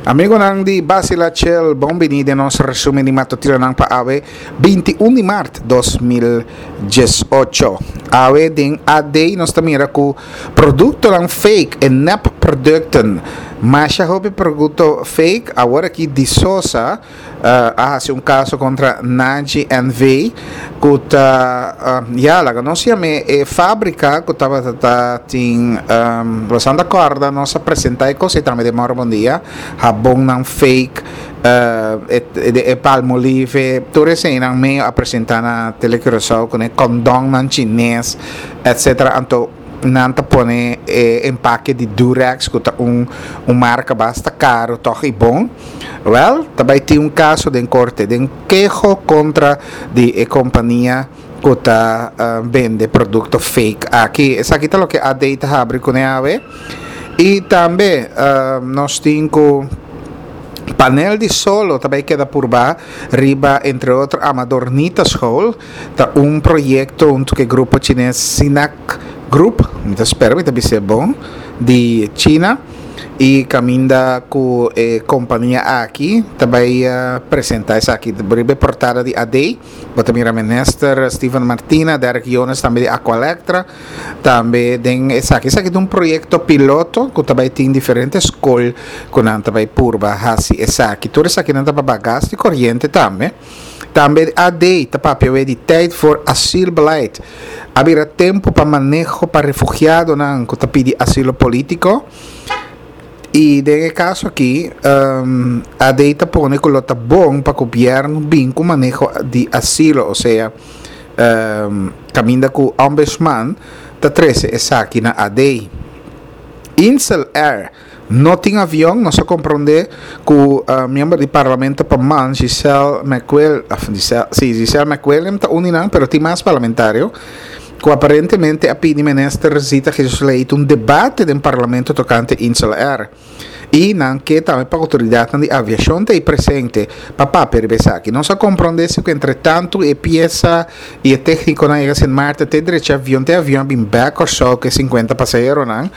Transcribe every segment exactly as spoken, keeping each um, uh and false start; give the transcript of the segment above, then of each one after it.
Amigonan di Basila Chel, bon bini den nos resumen di matutinonan pa awe binti un di mart dos mil diesocho. Awe den A D nos ta mira ku produktonan fake e nep producten. Masha hopi produkto fake. Awor aki Di Sosa uh, a hasi un kaso kontra Naji N V ku ta, uh, ya, laga nos yam'é e fábrika ku tabata tin um, bastante korda nos a presentá e kos tambe den Moro Bon Dia, habonnan fake, uh, e, e, e Palmolive, tur eseinan medio a presentá na Telecuraçao ku e kondonnan chines, et cetera. Anto nan ta pone eh, empake di Durex, ku ta un, un marka basta karu toch i bon. Wel, tambe tin un kaso den korte, den keho kontra di e kompania ku ta uh, bende produkto fake aki. Esaki ta loke A D ta habri kuné awe. I tambe uh, nos tin ku panel di solo tambe keda purba riba, entre otro, Amador Nita School. Ta un proyekto huntu ku grupo chines Sinac Group, mi ta spera mi ta bis'é bon, di China i kaminda ku e kompania aki tambe uh, presentá esaki riba portada di A D. Bo ta mira minister Steven Martina, Derek Jonas tambe di Aqualectra tambe den esaki. Esaki ta un proyekto piloto ku tambe tin diferente skol ku nan tambe purba hasi esaki. Tur esaki nan ta pa gas di koriente tambe. Tambe A D ta papia di tijd voor asielbeleid. A bira tempu pa maneho pa refugiadonan ku ta pidi asilo polítiko. I den e kaso aki, um, A D ta pone ku ta bon pa gobièrnu bin ku maneho di asilo, osea, um, kaminda ku ombudsman ta trese esaki na A D. Insel Air no tin avion. Nos a komprondé ku uh, miembro di parlamento pa man Giselle McWill, uh, Giselle, si, Giselle McWilliam ta un di nan, pero tin mas parlamentario ku aparentemente a pidi minister Zita Jesus Leito un debate den parlamento tokante Insel Air. I nan ke tambe pa outoridat di aviashon ta presente pa papia riba esaki. Nos a komprondé ku entre tantu e piesa i e téknikonan a yega Sint Maarten, te drecha avion, te avion bin bèk Kòrsou ku sinkuenta pasaheronan,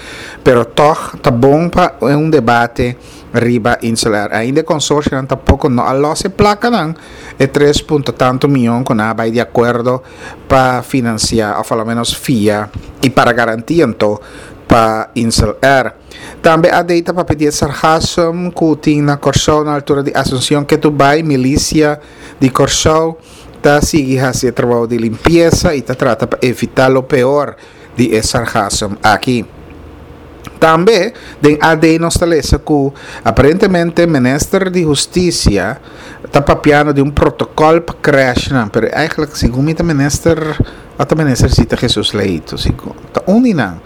pero toch ta bon pa un debate riba Insel Air. Ainda konsorsio tampoko no a lòs e plakanan, e tres punto tantu mion ku nan a bai di akuerdo pa finansiá òf alomenos fia i para garantia anto pa Insel Air. Tambe A D ta papia di sargassum ku tin na Kòrsou na altura di Asuncion Ketubay. Milisia di Kòrsou ta sigui hasi trabou di limpiesa i ta trata pa evitá lo peor di e sargassum aki. Tambe den A D nos ta lesa ku aparentemente minister di Hustisia ta papiando di un protokòl pa crèsh nan, pero eigenlijk segun mi ta minister, ata minister Zita Jesus Leito, segun, ta un di nan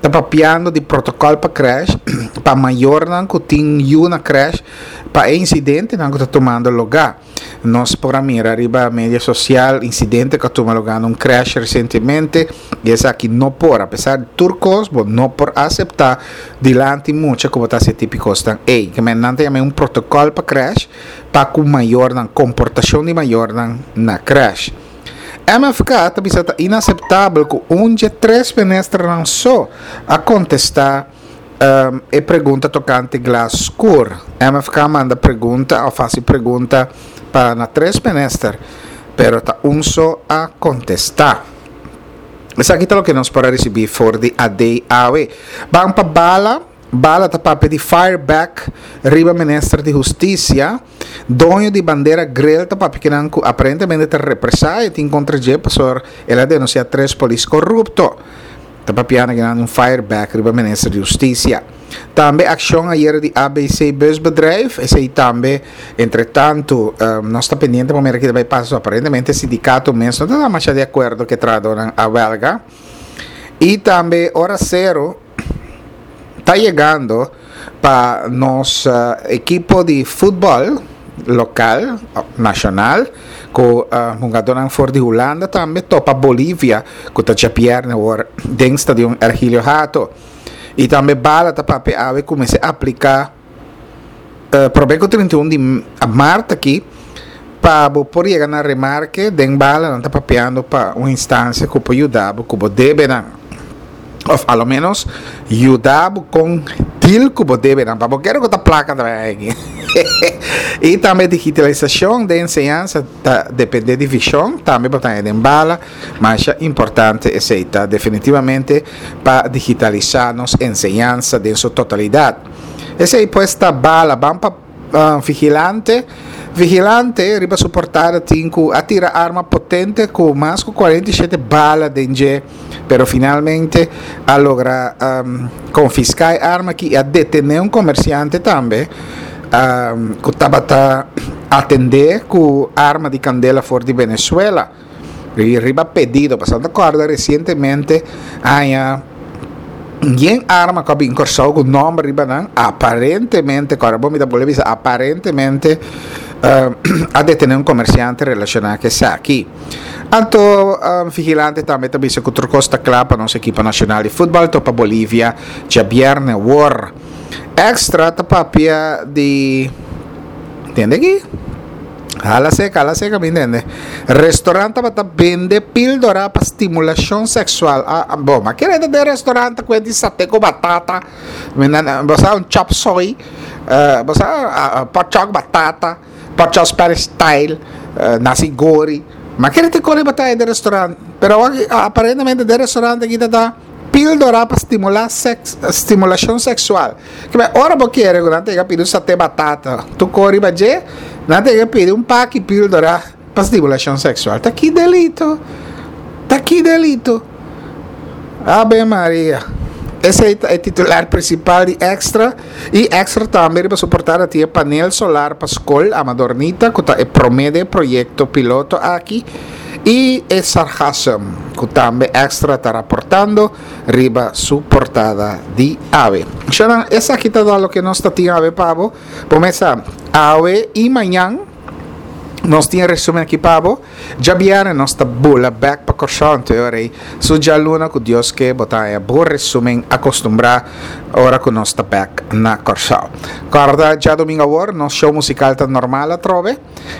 ta papiando di protokòl pa crèsh, pa mayornan ku tin yu na crèsh, pa insidentenan ku ta tumando lugá. Nos por a mira riba media sosial insidente ku a tuma lugá na un crèsh resientemente i esaki no por, apesar di tur kos, bo no por aseptá dilanti mucha ku bo ta hasi tipo kosnan ei. Ke men nan ta yama un protokòl pa crèsh pa ku mayornan, komportashon di mayornan na crèsh. M F K ta bisa ta inaseptabel ku un di tres ministernan so a kontestá um, e pregunta tokante glas skur. M F K a manda pregunta, òf hasi pregunta pa na tres minister, pero ta un so a kontestá. Esaki ta loke nos por a risibí for di A D awe. Ban pa Bala. Bala ta papia di fireback riba minister di Hustisia. Doño di Bandera Grill ta papia ku ku aparentemente ta represalia tin kontra dje pasobra el a denunsiá tres polis korupto. Ta papiando ku un fireback riba minister di Hustisia. Tambe akshon ayera di A B C Busbedrijf, esei tambe, entre tantu, um, nos ta pendiente pa mira kiko ta bai pasa. Aparentemente sindikato mes no ta mas di akuerdo ku trahadónan a welga. I tambe ora sero ta yegando pa nos uh, ekipo di futbòl lokal, nashonal, ku uh, hungadónan for di Hulanda tambe topa Bolivia, ku ta djabièrnè awor den stadion Ergilio Hato. I tambe Bala ta papia awe kuminsá apliká uh, promé ku trinta i un di mart aki pa bo por yega na remarke. Den Bala nan ta papiando pa un instansia ku por yuda ku bo debenan. Of a lo menos yuda bo kon deal ku bo debenan, pa bo kere ku ta plaka ta bai aki. I tambe digitalisashon den enseñansa ta depende di vishon, tambe bo ta haña den bala. Masha importante esei ta definitivamente pa digitalisa nos enseñansa den su totalidat. Esei pues ta bala. Ban pa Vigilante. Vigilante riba su portada tin ku a tira arma potente ku mas ku kuarenta i shete bala den dje, pero finalmente a logra konfiská e arma aki i a detené un komersiante tambe ku tabata atendé ku arma di kandela for di Venezuela riba pedido. Pasobra ta kòrda resientemente aña Yen arma ku a bin Kòrsou ku nòmber riba nan, aparentemente, kòrda bo mi ta bolbe bisa aparentemente, a detené un komersiante relashoná ku esaki. Anto Vigilante tambe ta bisa ku tur kos ta kla pa nos ekipo nashonal di futbòl topa Bolivia djabièrnè wor. Extra ta papia di. Tende aki? Hala seka, hala seka mi ntende. Restaurant tabata bende píldora pa stimulashon seksual. Ah, ah, bo, ma kere ta den restaurant ta kue di sate ku batata. Mi nan, bo sa un chop soy, uh, bo sa uh, pork chop batata, pork chop Spanish style, uh, nasi gori. Ma kere te kore bataya den restaurant. Pero awor, aparentemente den restaurant aki ta ta Píldora pa stimulá seks, stimulashon seksual. Kibè ora bo kere ku nan tega pidi un saté batata, tu kore riba dje, nan tega pidi un paki píldora pa stimulashon seksual. Ta ki delito? Ta ki delito? Ave Maria. Esei ta e titular prinsipal di Extra i Extra tambe riba su portada tin e panel solar pa skol Amadornita ku ta e promé den e proyekto piloto aki. I e sargassum, ku tambe Extra ta raportando riba su portada di awe. Shownan, esaki ta da loke nos ta tin awe pa bo. Bo mesa, awe i mañan nos tin e resumen aki pa bo. Djabièrnè nos ta bula bèk pa Kòrsou, anto e ora ei su djaluna ku Dios ke bo ta haña bo resumen akostumbrá ora ku nos ta bèk na Kòrsou. Kòrda djadumingu awor nos show musikal ta normal atrobe.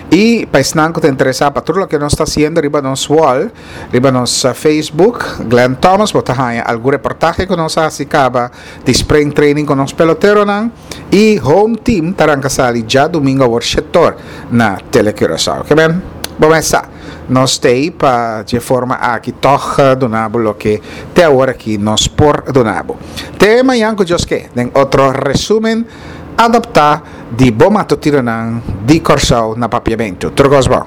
I pa esnan ku ta interesá pa tur loke nos ta hasiendo riba nos wall, riba nos Facebook, Glenn Thomas, bo ta haña algun reportahe ku nos a hasi kaba di spring training ku nos peloteronan i home team ta ranka sali djadumingu awor shetor na Tele Curaçao. Ke men, bo mes sa, nos t'ei pa dje forma aki tòg duna bo loke te awor aki nos por duna bo. Te mañan ku Dios ke den otro resumen. Adaptá di bo matutinonan di Kòrsou na Papiamentu. Tur kos bon.